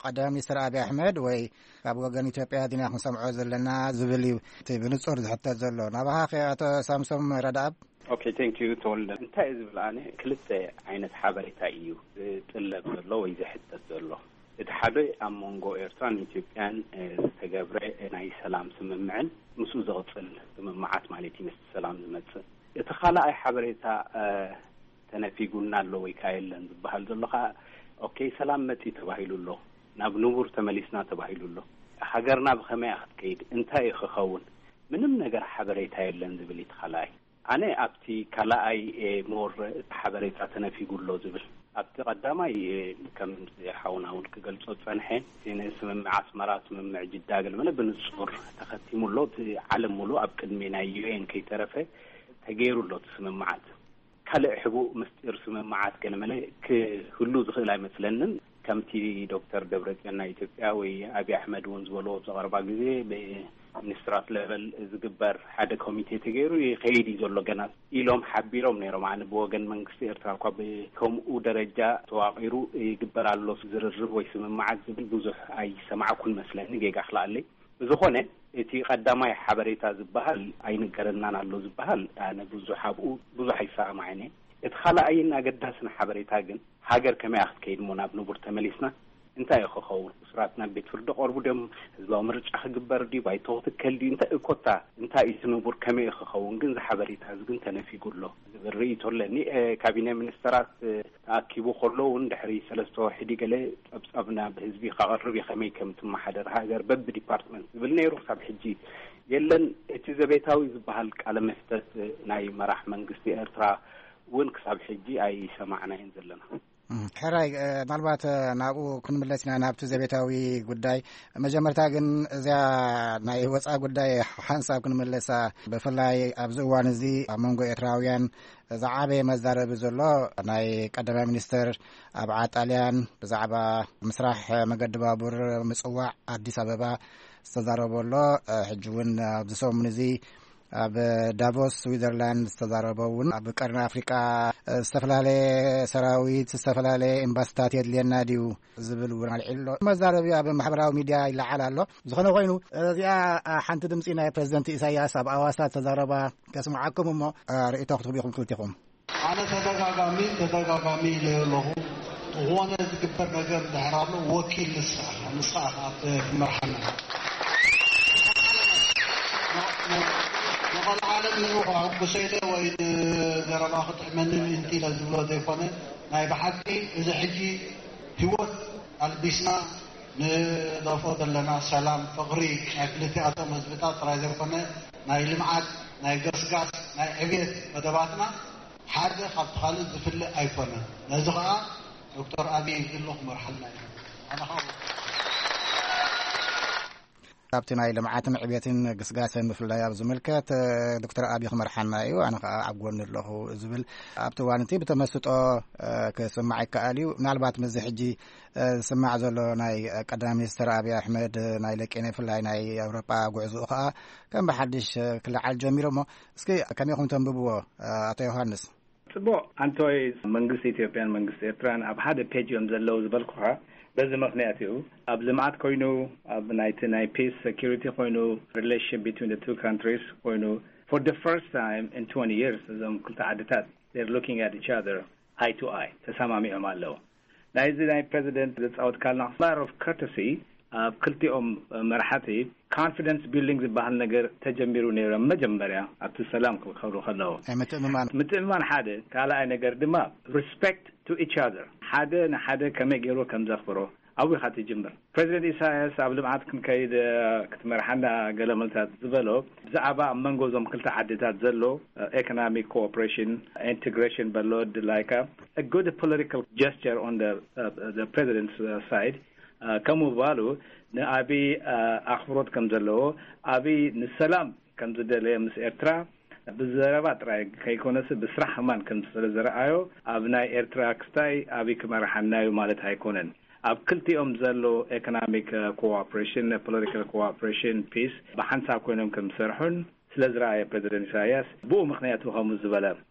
ቀዳማይ ሚኒስትር ኣብይ ኣሕመድ ወይ ካብ ወገን ኢትዮጵያ ዲና ክንሰምዖ ዘለና ዝብል እዩ እቲ ብንጹር ዝሕተት ዘሎ። ናባኻ ከ ኣቶ ሳምሶም ረድኣብ? ኦኬ፣ ቴንክ ዩ ተወልደ። እንታይ እዩ ዝብል፣ ኣነ ክልተ ዓይነት ሓበሬታ እዩ ዝጥለብ ዘሎ ወይ ዝሕተት ዘሎ። እቲ ሓደ ኣብ መንጎ ኤርትራን ኢትዮጵያን፣ እ፣ ዝተገብረ ናይ ሰላም ስምምዕን ምስኡ ዝቕጽል ስምምዓት ማለት እዩ፣ ምስቲ ሰላም ዝመጽእ። እቲ ካልኣይ ሓበሬታ፣ እ፣ ተነፊጉና ኣሎ ወይ ከኣ የለን ዝበሃል ዘሎ ከኣ፣ ኦኬ፣ ሰላም መጺ ተባሂሉ ኣሎ፣ ናብ ንቡር ተመሊስና ተባሂሉ ኣሎ። ሃገርና ብኸመይ እያ ክትከይድ? እንታይ እዩ ክኸውን? ምንም ነገር ሓበሬታ የለን ዝብል እዩ እቲ ካልኣይ። ኣነ ኣብቲ ካልኣይ፣ እ፣ ሞር እቲ ሓበሬታ ተነፊጉ ኣሎ ዝብል። ኣብቲ ቀዳማይ፣ እ፣ ከም ሓውና እውን ክገልጾ ዝጸንሐ፣ እቲ ንስምምዕ ኣስመራ፣ ስምምዕ ጅዳ ገለመለ ብንጹር ተኸቲሙ ኣሎ። እቲ ዓለም ሙሉእ ኣብ ቅድሚ ናይ ዩ ኤን ከይተረፈ ተገይሩ ኣሎ እቲ ስምምዓት። ካልእ ሕቡእ ምስጢር ስምምዓት ገለመለ ክህሉ ዝኽእል ኣይመስለንን። ከምቲ ዶክተር ደብረጽዮን ናይ ኢትዮጵያ ወይ ኣብይ ኣሕመድ እውን ዝበልዎ ኣብዚ ቀረባ ግዜ፣ ብሚኒስትራት ሌቨል ዝግበር ሓደ ኮሚቴ ተገይሩ ይኸይድ እዩ ዘሎ ገና ኢሎም ሓቢሮም ነይሮም። ኣነ ብወገን መንግስቲ ኤርትራ እኳ ብከምኡ ደረጃ ተዋቒሩ ይግበር ኣሎ ዝርርብ ወይ ስምምዓት ዝብል ብዙሕ ኣይሰማዕኩን መስለኒ፣ ጌጋ ክልኣለይ። ብዝኾነ፣ እቲ ቀዳማይ ሓበሬታ ዝበሃል ኣይንገረናን ኣሎ ዝበሃል፣ ኣነ ብዙሕ ኣብኡ ብዙሕ ኣይሰማማዕን እየ። እቲ ካልኣይን ኣገዳስን ሓበሬታ ግን፣ ሃገር ከመይ እያ ክትከይድ እሞ ናብ ንቡር ተመሊስና? እንታይ እዩ ክኸውን? እሱራት ናብ ቤት ፍርዲ ቀርቡ ድዮም? ህዝባዊ ምርጫ ክግበር ድዩ? ባይቶ ክትከል ድዩ? እንታይ እኮታ፣ እንታይ እዩ እቲ ንቡር? ከመይ እዩ ክኸውን? ግን እዚ ሓበሬታ እዚ ግን ተነፊጉ ኣሎ ዝብል ርእይቶ ኣለኒ። እ፣ ካቢነ ሚኒስተራት፣ እ፣ ተኣኪቡ ከሎ እውን ድሕሪ ሰለስተ ወርሒ ድዩ ገለ ጸብጻብ ናብ ህዝቢ ከቕርብ እዩ፣ ከመይ ከም ትመሓደር ሃገር በብዲፓርትመንት ዝብል ነይሩ። ክሳብ ሕጂ የለን። እቲ ዘቤታዊ ዝበሃል ቃለ መሕተት ናይ መራሕ መንግስቲ ኤርትራ እውን ክሳብ ሕጂ ኣይሰማዕናዮን ዘለና። እም፣ ሕራይ፣ እ፣ ምናልባት፣ እ፣ ናብኡ ክንምለስ ኢና፣ ናብቲ ዘቤታዊ ጉዳይ። መጀመርታ ግን እዚኣ ናይ ወፃኢ ጉዳይ ሓንሳብ ክንምለሳ፣ ብፍላይ ኣብዚ እዋን እዚ ኣብ መንጎ ኤርትራውያን ዝዓበየ መዛረቢ ዘሎ ናይ ቀዳማይ ሚኒስትር ኣብ ዓጣልያን ብዛዕባ ምስራሕ መገዲ ባቡር ምጽዋዕ ኣዲስ ኣበባ ዝተዛረቦ ኣሎ። ሕጂ እውን ኣብዚ ሰሙን እዚ ኣብ ዳቮስ ስዊዘርላንድ ዝተዛረቦ እውን ኣብ ቀርኒ ኣፍሪቃ ዝተፈላለየ ሰራዊት፣ ዝተፈላለየ ኤምባስታት የድልየና ድዩ ዝብል እውን ኣልዒሉ ኣሎ። መዛረቢ ኣብ ማሕበራዊ ሚድያ ይለዓል ኣሎ። ዝኾነ ኮይኑ እዚኣ ሓንቲ ድምፂ ናይ ፕሬዚደንት ኢሳያስ ኣብ ኣዋሳ ዝተዛረባ ከስምዓኩም እሞ ርእይቶ ክትህቡ ኢኹም ክልቲኹም። ኣነ ተደጋጋሚ፣ ተደጋጋሚ ኢለዮ ኣለኹ። ዝኾነ ዝግበር ነገር እንድሕር ኣሎ፣ ወኪል ንስኻ፣ ንስኻ ኢኻ ትመርሓና። ንቐልዓለም ንዑ ከሐጉሰ ኢለ ወይ ንዘረባ ክጥዕመኒ ምእንቲ ኢለ ዝብሎ ዘይኮነ፣ ናይ ብሓቂ እዚ ሕጂ ህይወት ኣልቢስና ንደፍኦ ዘለና ሰላም፣ ፍቕሪ ናይ ክልቲኣቶም ህዝብታት ጥራይ ዘይኮነ፣ ናይ ልምዓት፣ ናይ ገስጋስ፣ ናይ ዕብየት መደባትና ሓደ ካብቲ ካልእ ዝፍለ ኣይኮነን። ነዚ ኸኣ ዶክተር ኣብይ ግሉ ክመርሓልና እዩ። ኣነ ኸኣ ኣብቲ ናይ ልምዓትን ዕብየትን ግስጋሰን ብፍላይ ኣብ ዝምልከት፣ እ፣ ዶክተር ኣብይ ክመርሓና እዩ፣ ኣነ ኸኣ ኣብ ጎኒ ኣለኹ ዝብል ኣብቲ እዋን እቲ ብተመስጦ፣ እ፣ ክስማዕ ይከኣል እዩ። ምናልባት ምስዚ ሕጂ፣ እ፣ ዝስማዕ ዘሎ ናይ ቀዳማይ ሚኒስትር ኣብይ ኣሕመድ ናይ ለቄነ ብፍላይ ናይ ኣውሮጳ ጉዕዞኡ ኸኣ ከም ብሓድሽ፣ እ፣ ክለዓል ጀሚሩ እሞ እስኪ ከመይ ኢኹም ተንብብዎ፣ እ፣ ኣቶ ዮሃንስ? ጽቡቕ፣ ኣንቶይ፣ መንግስቲ ኢትዮጵያን መንግስቲ ኤርትራን ኣብ ሓደ ፔጅ እዮም ዘለዉ ዝበልኩኻ በዚ ምኽንያት እዩ። ኣብ ልምዓት ኮይኑ፣ ኣብ ናይቲ ናይ ፒስ ሴኩሪቲ ኮይኑ፣ ሪሌሽንሽፕ ቢትዊን ቱ ካንትሪስ ኮይኑ፣ for the first time in twenty years እዞም ክልተ ዓድታት they're looking at each other eye to eye፣ ተሰማሚዖም ኣለዉ። ናይዚ ናይ ፕሬዚደንት ዘጻወትካልና ማተር ኦፍ ኮርተሲ ኣብ ክልቲኦም መራሕቲ ኮንፊደንስ ቢልዲንግ ዝበሃል ነገር ተጀሚሩ ነይሩ። መጀመርያ ኣብቲ ሰላም ክኸብሩ ከለዉ ኣይምትእምማን። ምትእምማን ሓደ፣ ካልኣይ ነገር ድማ ሪስፔክት ቱ ኢች ኣዘር፣ ሓደ ንሓደ ከመይ ገይሩ ከም ዘኽብሮ ኣብኡ ኢኻ ትጅምር። ፕሬዚደንት ኢሳያስ ኣብ ልምዓት ክንከይድ ክትመርሓና ገለ መልታት ዝበሎ ብዛዕባ ኣብ መንጎ እዞም ክልተ ዓድታት ዘሎ ኢኮኖሚክ ኮኦፕሬሽን ኢንቴግሬሽን በሎ ድላይካ ጉድ ፖለቲካል ጀስቸር ኦን ፕሬዚደንት ሳይድ ከምኡ ባሉ ንኣብይ ኣኽብሮት ከም ዘለዎ፣ ኣብይ ንሰላም ከም ዝደለየ ምስ ኤርትራ ብዘረባ ጥራይ ከይኮነስ ብስራሕ ከማን ከም ስለ ዝረኣዮ ኣብ ናይ ኤርትራ ክስታይ ኣብይ ክመርሓና እዩ ማለት ኣይኮነን። ኣብ ክልቲኦም ዘሎ ኢኮኖሚክ ኮኦፕሬሽን ፖለቲካል ኮኦፕሬሽን ፒስ ብሓንሳብ ኮይኖም ከም ዝሰርሑን ስለ ዝረኣየ ፕሬዚደንት ኢሳያስ ብኡ ምክንያት ከምኡ ዝበለ።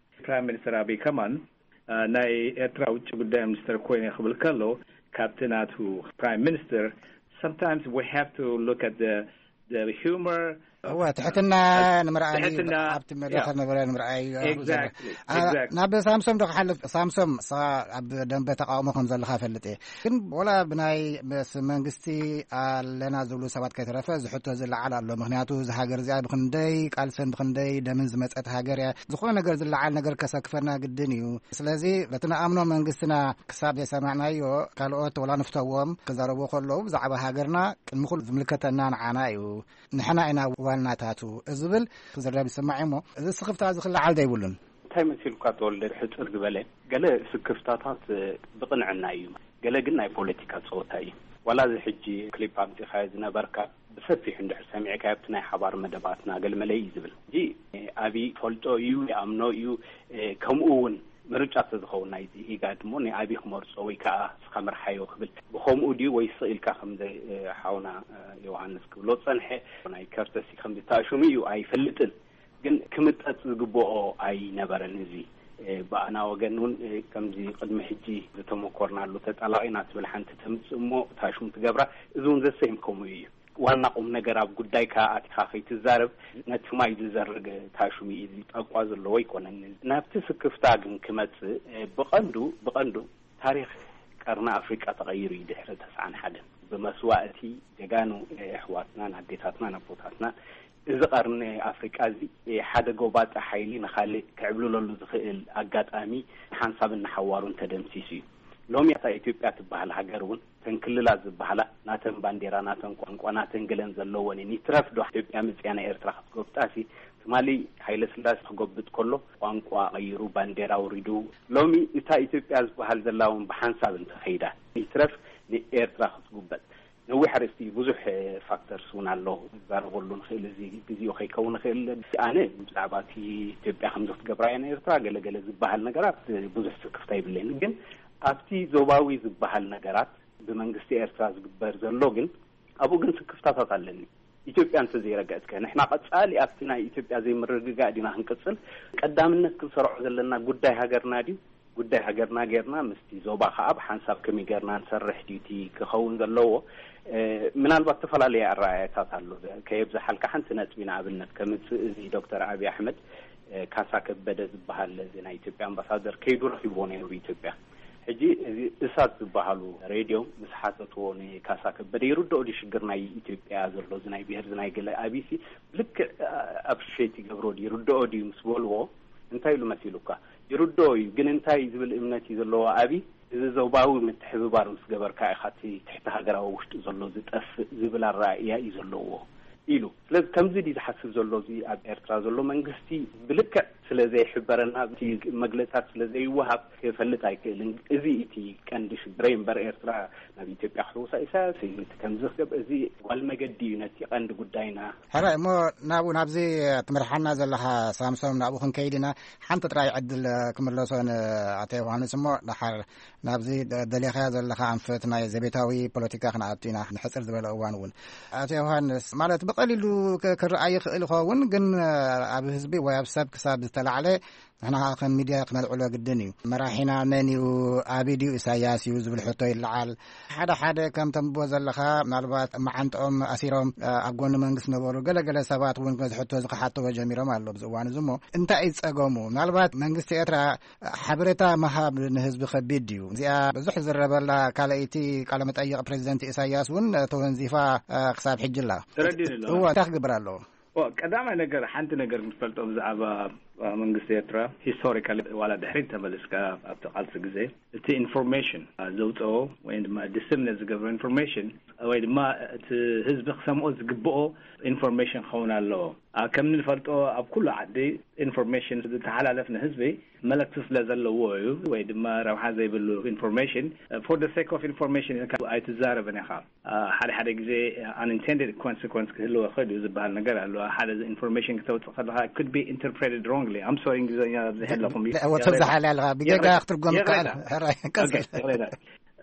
ፕራይም ሚኒስተር ኣብይ ከማን ናይ ኤርትራ ውጭ ጉዳይ ሚኒስተር ኮይነ ክብል ከሎ ካብቲ ናቱ ፕራይም ሚኒስተር sometimes we have to look at the humor. እወ ትሕትና ንምርኣይ ትሕትና ኣብቲ መድረኽ ነበረ ንምርኣይ። ናብ ሳምሶም ዶ ክሓልፍ? ሳምሶም ሳ ኣብ ደንበ ተቃውሞ ከም ዘለካ ፈልጥ እየ፣ ግን ወላ ብናይ ምስ መንግስቲ ኣለና ዝብሉ ሰባት ከይተረፈ ዝሕቶ ዝለዓል ኣሎ። ምክንያቱ እዚ ሃገር እዚኣ ብክንደይ ቃልስን ብክንደይ ደምን ዝመፀት ሃገር እያ። ዝኾነ ነገር ዝለዓል ነገር ከሰክፈና ግድን እዩ። ስለዚ በቲ ንኣምኖ መንግስትና ክሳብ ዘይሰማዕናዮ ካልኦት ወላ ንፍተዎም ክዛረቡ ከለዉ ብዛዕባ ሃገርና ቅድሚ ኩሉ ዝምልከተና ንዓና እዩ፣ ንሕና ኢና ዋናታቱ ዝብል ክዝረብ ይስማዕ እሞ እዚ ስኽፍታ እዚ ክለዓል ዘይብሉን እንታይ መሲልካ ተወልደ? ሕፅር ዝበለ ገለ ስክፍታታት ብቕንዕና እዩ፣ ገለ ግን ናይ ፖለቲካ ፀወታ እዩ። ዋላ እዚ ሕጂ ክሊፕ ኣምፂኻዮ ዝነበርካ ብሰፊሑ እንድሕር ሰሚዕካዮ ኣብቲ ናይ ሓባር መደባትና ገለመለ እዩ ዝብል እንጂ ኣብይ ፈልጦ እዩ ይኣምኖ እዩ። ከምኡ እውን ምርጫ ተዝኸውን ናይዚ ኢጋድ እሞ ንኣብይ ክመርፆ ወይ ከዓ እስኻ ምርሓዮ ክብል ብከምኡ ድዩ ወይ ስቕ ኢልካ ከም ሓውና ዮሃንስ ክብሎ ዝፀንሐ ናይ ከርተሲ ከም ዝተኣሽሙ እዩ ኣይፈልጥን። ግን ክምጠጥ ዝግብኦ ኣይነበረን። እዚ ብኣና ወገን እውን ከምዚ ቅድሚ ሕጂ ዝተመኮርናሉ ተጣላቒና ትብል ሓንቲ ተምፅእ እሞ ታሽሙ ትገብራ። እዚ እውን ዘሰይም ከምኡ እዩ። ዋና ቁም ነገር ኣብ ጉዳይካ ኣቲኻ ከይትዛረብ ነቲ ማይ ዝዘርግ ታሽሙ እዩ። እዚ ጣቋ ዘለዎ ኣይኮነን። ናብቲ ስክፍታ ግን ክመፅእ ብቐንዱ ብቐንዱ ታሪኽ ቀርኒ ኣፍሪቃ ተቐይሩ እዩ። ድሕሪ ተስዓን ሓደን ብመስዋእቲ ጀጋኑ ኣሕዋትናን ኣዴታትናን ኣቦታትና እዚ ቀርኒ ኣፍሪቃ እዚ ሓደ ጎባጣ ሓይሊ ንኻልእ ክዕብልለሉ ዝኽእል ኣጋጣሚ ሓንሳብን ንሓዋሩን ተደምሲሱ እዩ። ሎሚ እታ ኢትዮጵያ ትበሃል ሃገር እውን እተን ክልላት ዝበሃላ ናተን ባንዴራ ናተን ቋንቋ ናተን ገለን ዘለወን እየን። ይትረፍ ዶ ኢትዮጵያ መፅያ ናይ ኤርትራ ክትጎብጣሲ ትማሊ ሃይለ ስላሴ ክጎብጥ ከሎ ቋንቋ ቀይሩ ባንዴራ ኣውሪዱ ሎሚ እታ ኢትዮጵያ ዝበሃል ዘላ እውን ብሓንሳብ እንተኸይዳ ይትረፍ ንኤርትራ ክትጉበጥ ነዊሕ ኣርእስቲ ብዙሕ ፋክተርስ እውን ኣሎ። ንዛረበሉ ንኽእል እዚ ግዜኡ ከይከውን ይኽእል። ኣነ ብዛዕባ እቲ ኢትዮጵያ ከምዚ ክትገብራ እያ ንኤርትራ ገለገለ ዝበሃል ነገራት ብዙሕ ስክፍታ ይብለይን ግን ኣብቲ ዞባዊ ዝበሃል ነገራት ብመንግስቲ ኤርትራ ዝግበር ዘሎ ግን ኣብኡ ግን ስክፍታታት ኣለኒ። ኢትዮጵያ እንተዘይረገእትከ ንሕና ቀፃሊ ኣብቲ ናይ ኢትዮጵያ ዘይምርግጋእ ዲና ክንቅፅል ቀዳምነት ክንሰርዖ ዘለና ጉዳይ ሃገርና ድዩ? ጉዳይ ሃገርና ጌርና ምስቲ ዞባ ከዓ ብሓንሳብ ከመይ ጌርና ንሰርሕ ድዩ እቲ ክኸውን ዘለዎ? ምናልባት ዝተፈላለየ ኣረኣእያታት ኣሎ። ከየብዝሓልካ ሓንቲ ነጥቢ ንኣብነት ከምፅእ እዚ ዶክተር ኣብይ ኣሕመድ ካሳ ከበደ ዝበሃል እዚ ናይ ኢትዮጵያ ኣምባሳደር ከይዱ ረኪብዎ ነይሩ ኢትዮጵያ። ሕጂ እዚ እሳት ዝበሃሉ ሬድዮ ምስ ሓተትዎ ንካሳ ከበደ ይርድኦ ድዩ ሽግር ናይ ኢትዮጵያ ዘሎ እዚ ናይ ብሄር እዚ ናይ ገለ ኣቢሲ ብልክዕ ኣፕሪሼት ይገብሮ ድዩ ይርድኦ ድዩ ምስ በልዎ እንታይ ኢሉ መሲሉካ? ይርድኦ እዩ ግን እንታይ ዝብል እምነት እዩ ዘለዎ ኣቢ እዚ ዞባዊ ምትሕብባር ምስ ገበርካ ኢኻ እቲ ትሕቲ ሃገራዊ ውሽጢ ዘሎ ዝጠፍእ ዝብል ኣረኣእያ እዩ ዘለዎ ኢሉ። ስለዚ ከምዚ ድዩ ዝሓስብ ዘሎ እዚ ኣብ ኤርትራ ዘሎ መንግስቲ ብልክዕ ስለ ዘይሕበረና እቲ መግለፅታት ስለ ዘይወሃብ ክፈልጥ ኣይክእልን። እዚ እቲ ቀንዲ ሽግረይ እምበር ኤርትራ ናብ ኢትዮጵያ ክሕውሳ ኢሳያስ እዩ እቲ ከምዚ ክገብ እዚ ጓል መገዲ እዩ ነቲ ቀንዲ ጉዳይና። ሕራይ እሞ ናብኡ ናብዚ ትምርሓና ዘለኻ ሳምሶም ናብኡ ክንከይድ ኢና። ሓንቲ ጥራይ ዕድል ክምለሶ ንኣቶ ዮሃንስ እሞ ደሓር ናብዚ ደሊኻዮ ዘለኻ ኣንፈት ናይ ዘቤታዊ ፖለቲካ ክንኣቱ ኢና ንሕፅር ዝበለ እዋን እውን። ኣቶ ዮሃንስ ማለት ብቐሊሉ ክረኣይ ይኽእል ይኸውን ግን ኣብ ህዝቢ ወይ ኣብ ሰብ ክሳብ ዝተላዕለ፣ ንሕና ከዓ ከም ሚድያ ክነልዕሎ ግድን እዩ። መራሒና መን እዩ? ኣቢድ እዩ? ኢሳያስ እዩ? ዝብል ሕቶ ይለዓል። ሓደ ሓደ ከምቶም ብዎ ዘለኻ፣ ምናልባት መዓንጥኦም ኣሲሮም ኣብ ጎኒ መንግስቲ ነበሩ፣ ገለገለ ሰባት እውን ነዚ ሕቶ እዚ ክሓትዎ ጀሚሮም ኣሎ ኣብዚ እዋን እዚ። እሞ እንታይ እዩ ጸገሙ? ምናልባት መንግስቲ ኤርትራ ሓበሬታ ምሃብ ንህዝቢ ከቢድ እዩ። እዚኣ ብዙሕ ዝረበላ ካልኣይቲ ቃለ መጠይቕ ፕሬዚደንት ኢሳያስ እውን ተወንዚፋ ክሳብ ሕጂ ኣላ። ተረዲእኒ ኣሎ። እወ፣ እንታይ ክግበር ኣለዎ? ቀዳማይ ነገር፣ ሓንቲ ነገር ንፈልጦ ብዛዕባ መንግስቲ ኤርትራ፣ ሂስቶሪካሊ ዋላ ድሕሪት ተመልስካ ኣብቲ ቃልሲ ግዜ፣ እቲ ኢንፎርሜሽን ዘውፅኦ ወይ ድማ ዲስሚኔት ዝገብሮ ኢንፎርሜሽን ወይ ድማ እቲ ህዝቢ ክሰምኦ ዝግብኦ ኢንፎርሜሽን ክኸውን ኣለዎ። ከም ንፈልጦ ኣብ ኩሉ ዓዲ ኢንፎርሜሽን ዝተሓላለፍ ንህዝቢ መልእክቲ ስለ ዘለዎ እዩ። ወይ ድማ ረብሓ ዘይብሉ ኢንፎርሜሽን፣ for the sake of information ኢልካ ኣይትዛረብን ኢኻ። ሓደ ሓደ ግዜ unintended ኮንስኮንስ ክህልዎ ይኽእል እዩ ዝበሃል ነገር ኣሎ። ሓደ ኢንፎርሜሽን ክተውፅእ ከለካ could be interpreted wrongly. I'm sorry፣ እንግሊዝኛ ኣብዚ ኣለኹም እዩ። ወተብዝሓል ኣለካ ብጌጋ ክትርጎም ይኽእል። ሕራይ ቀፅል።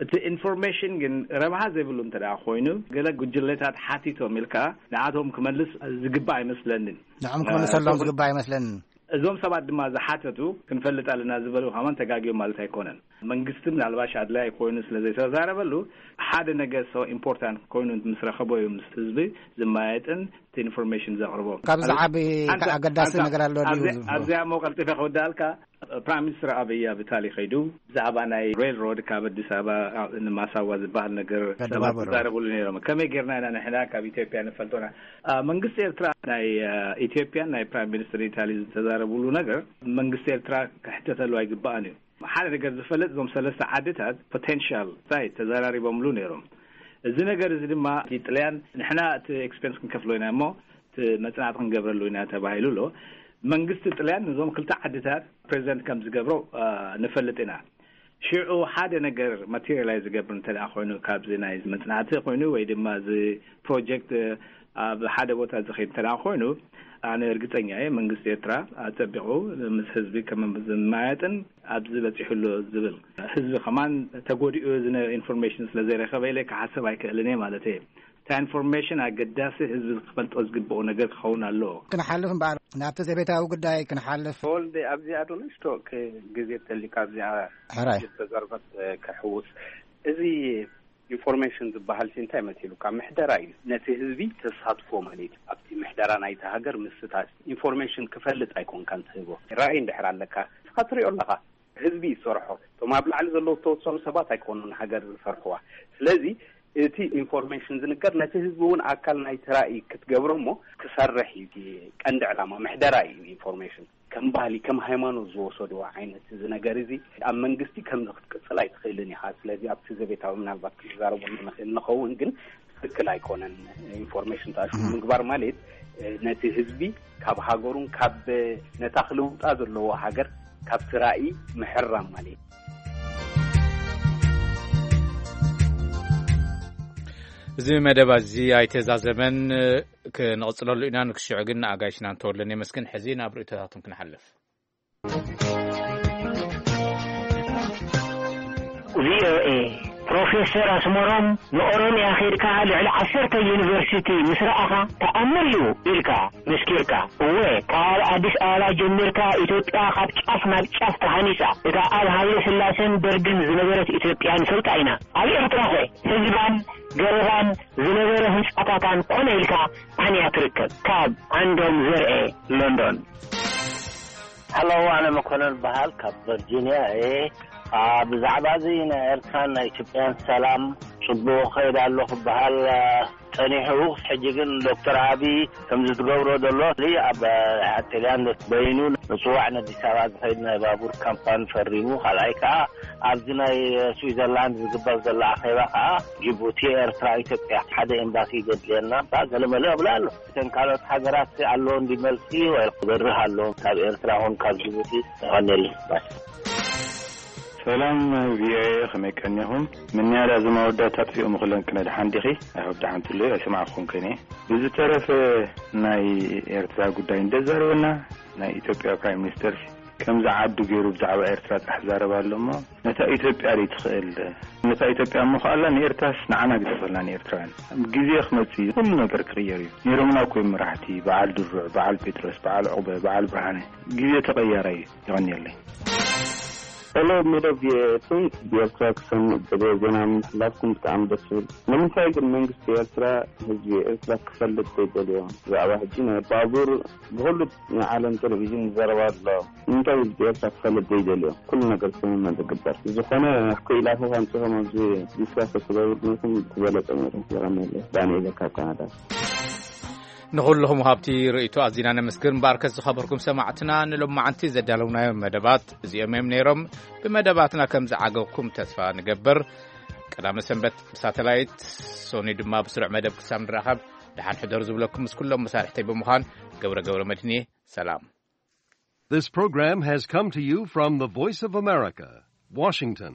እቲ ኢንፎርሜሽን ግን ረብሃ ዘይብሉ እንተ ኮይኑ፣ ገለ ጉጅለታት ሓቲቶም ኢልካ ንዓቶም ክመልስ ዝግባእ ኣይመስለንን። ንዕም ክመልሰሎም ዝግባእ ኣይመስለንን። እዞም ሰባት ድማ ዝሓተቱ ክንፈልጥ ኣለና ዝበሉ ከማን ተጋግዮም ማለት ኣይኮነን። መንግስቲ ምናልባሽ ኣድላይ ኮይኑ ስለ ዘይተዛረበሉ፣ ሓደ ነገር so ኢምፖርታንት ኮይኑ ምስ ረኸቦ እዩ ምስ ህዝቢ ዝመያየጥን እቲ ኢንፎርሜሽን ዘቕርቦ። ካብ ዝዓቢ ኣገዳሲ ነገር ኣሎ ድዩ? ኣብዚኣ ሞ ቀልጢፈ ክወዳልካ፣ ፕራይም ሚኒስትር ኣብይ ኣብ ኢታሊ ከይዱ ብዛዕባ ናይ ሬል ሮድ ካብ ኣዲስ ኣበባ ንማሳዋ ዝበሃል ነገር ሰባት ዝዛረብሉ ነይሮም። ከመይ ጌርና ኢና ንሕና ካብ ኢትዮጵያ ንፈልጦና? መንግስቲ ኤርትራ ናይ ኢትዮጵያን ናይ ፕራይም ሚኒስትር ኢታሊ ዝተዛረብሉ ነገር መንግስቲ ኤርትራ ክሕተተሉ ኣይግባእን እዩ። ሓደ ነገር ዝፈልጥ፣ እዞም ሰለስተ ዓድታት ፖቴንሻል ሳይት ተዘራሪቦምሉ ነይሮም። እዚ ነገር እዚ ድማ እቲ ጥልያን ንሕና እቲ ኤክስፐንስ ክንከፍሎ ኢና እሞ እቲ መጽናዕቲ ክንገብረሉ ኢና ተባሂሉ ኣሎ። መንግስቲ ጥልያን ነዞም ክልተ ዓድታት ፕሬዚደንት ከም ዝገብሮ ንፈልጥ ኢና። ሽዑ ሓደ ነገር ማቴሪያላይዝ ዝገብር እንተ ኮይኑ ካብዚ ናይ መጽናዕቲ ኮይኑ ወይ ድማ እዚ ፕሮጀክት ኣብ ሓደ ቦታ ዝኸይድ እንተ ኮይኑ ኣነ እርግጸኛ እየ መንግስቲ ኤርትራ ኣጸቢቑ ምስ ህዝቢ ከም ዝመያየጥን ኣብዚ በጺሑ ኣሎ ዝብል ህዝቢ ከማን ተጎዲኡ እዚ ኢንፎርሜሽን ስለ ዘይረኸበ ኢለ ክሓስብ ኣይክእልን እየ ማለት እየ። እታ ኢንፎርሜሽን ኣገዳሲ ህዝቢ ክፈልጦ ዝግብኦ ነገር ክኸውን ኣለዎ። ክንሓልፍ እምበኣር ናብቲ ዘቤታዊ ጉዳይ ክንሓልፍ። ተወልደ ኣብዚኣ ዶ ንእሽቶ ግዜ ተሊካ ኣብዚኣ ሕራይ ዝተዘርበት ክሕውስ እዚ ኢንፎርሜሽን ዝበሃል ሲ እንታይ መሲሉካ? ምሕደራ እዩ። ነቲ ህዝቢ ተሳትፎ ማለት እዩ። ኣብቲ ምሕደራ ናይቲ ሃገር ምስታፍ ኢንፎርሜሽን ክፈልጥ ኣይኮንካን ትህቦ። ራእይ እንድሕር ኣለካ ንስኻ ትሪኦ ኣለኻ። ህዝቢ ይሰርሖ። እቶም ኣብ ላዕሊ ዘለዉ ዝተወሰኑ ሰባት ኣይኮኑን ሃገር ዝሰርሕዋ። ስለዚ እቲ ኢንፎርሜሽን ዝንገር ነቲ ህዝቢ እውን ኣካል ናይቲ ራእይ ክትገብሮ እሞ ክሰርሕ እዩ። እቲ ቀንዲ ዕላማ ምሕደራ እዩ። ኢንፎርሜሽን ከም ባህሊ ከም ሃይማኖት ዝወሰድዎ ዓይነት እዚ ነገር እዚ ኣብ መንግስቲ ከምዚ ክትቅፅል ኣይትኽእልን ኢኻ። ስለዚ ኣብቲ ዘቤታዊ ምናልባት ክንዛረቡ ንኽእል ንኸውን፣ ግን ትክክል ኣይኮነን። ኢንፎርሜሽን ተኣሽሙ ምግባር ማለት ነቲ ህዝቢ ካብ ሃገሩን ካብ ነታ ክልውጣ ዘለዎ ሃገር ካብቲ ራእይ ምሕራም ማለት እዩ። እዚ መደብ እዚ ኣይተዛዘመን፣ ክንቕጽለሉ ኢና። ንክሽዑ ግን ንኣጋይሽና እንተወለን የመስግን። ሕዚ ናብ ርእይቶታቶም ክንሓልፍ። ቪኦኤ፣ ፕሮፌሰር ኣስመሮም ንኦሮምያ ኸይድካ ልዕሊ ዓሰርተ ዩኒቨርሲቲ ምስ ረኣኻ ተኣምር እዩ ኢልካ መስኪርካ። እወ፣ ካብ ኣዲስ ኣበባ ጀሚርካ ኢትዮጵያ ካብ ጫፍ ናብ ጫፍ ተሃኒጻ። እታ ኣብ ሃይለ ስላሴን ደርግን ዝነበረት ኢትዮጵያ ንፈልጣ ኢና። ኣብ ኤርትራኸ ህዝባን ገረባን ዝነበረ ህንጻታታን ኮነ ኢልካ ኣንያ ትርከብ። ካብ ዓንዶም ዘርኤ፣ ሎንዶን። ሃሎ፣ ኣነ መኮነን በሃል ካብ ቨርጂንያ እየ። ብዛዕባ እዚ ናይ ኤርትራን ናይ ኢትዮጵያን ሰላም ጽቡቕ ከይድ ኣሎ ክበሃል ጸኒሑ፣ ሕጂ ግን ዶክተር ኣቢ ከምዚ ትገብሮ ዘሎ ኣብ ጥልያን በይኑ ምጽዋዕ ነዲስ ኣበባ ዝኸይድ ናይ ባቡር ካምፓኒ ፈሪሙ፣ ካልኣይ ከኣ ኣብዚ ናይ ስዊዘርላንድ ዝግበር ዘሎ ኣኼባ ከኣ ጅቡቲ፣ ኤርትራ፣ ኢትዮጵያ ሓደ ኤምባሲ ዘድልየና ገለመለ እብላ ኣሎ። እተን ካልኦት ሃገራት ኣሎ እንዲ መልሲ ወይ ክበርህ ኣሎ ካብ ኤርትራ ኹን ካብ ጅቡቲ። ተቐንየለይ። ሰላም ቪኦኤ፣ ከመይ ቀኒኹም? ምንያዳ እዚ መወዳእታ ኣጥፊኦም ክለን ክነድሓን ዲኺ? ኣይሆብ ደሓን ትሉ ኣይሰማዕኹም ከኔ። ብዝተረፈ ናይ ኤርትራ ጉዳይ እንደዛረበና ናይ ኢትዮጵያ ፕራይም ሚኒስተር ከምዚ ዓዱ ገይሩ ብዛዕባ ኤርትራ ጥራሕ ዝዛረብ ኣሎ እሞ፣ ነታ ኢትዮጵያ ደይ ትኽእል? ነታ ኢትዮጵያ እሞ ከኣላ ንኤርትራስ ንዓና ግደፈልና ንኤርትራውያን። ግዜ ክመጽእ እዩ፣ ኩሉ ነገር ክቕየር እዩ። ነይሮምና እኮ እዮም መራሕቲ፣ በዓል ድሩዕ፣ በዓል ጴጥሮስ፣ በዓል ዑቕበ፣ በዓል ብርሃነ። ግዜ ተቐያራይ እዩ። የቐንየለይ። ሄሎ፣ ሜዳ ቪኦኤ ኤፍኤም፣ ብኤርትራ ክሰምዕ ዝደልዮ ዜና ምሕላፍኩም ብጣዕሚ ደስ ይብል። ንምንታይ ግን መንግስቲ ኤርትራ ህዝቢ ኤርትራ ክፈልጥ ዘይደልዮ? ብዛዕባ ሕጂ ናይ ባቡር ብኹሉ ናይ ዓለም ቴሌቪዥን ይዛረብ ኣሎ። እንታይ ህዝቢ ኤርትራ ክፈልጥ ዘይደልዮ? ኩሉ ነገር ስምምዕ ዝግበር። ዝኾነ ክኢላታት ኣምጺኹም ኣብዚ ዲስካስ ተትገብሩ ነይርኩም ዝበለጸ ነይሩ። የቐንየለይ። ዳንኤል ካብ ካናዳ። ንኹልኹም ሃብቲ ርእይቶ ኣዚና ነመስግን። እምበኣርከስ ዝኸበርኩም ሰማዕትና፣ ንሎማዓንቲ ዘዳለውናዮም መደባት እዚኦም እዮም ነይሮም። ብመደባትና ከም ዝዓገብኩም ተስፋ ንገብር። ቀዳመ ሰንበት ብሳተላይት፣ ሶኒ ድማ ብስሩዕ መደብ ክሳብ ንራኸብ፣ ደሓን ሕደሩ ዝብለኩም ምስ ኩሎም መሳርሕተይ ብምዃን ገብረ ገብረ መድህን እየ። ሰላም። This program has come to you from the Voice of America, Washington.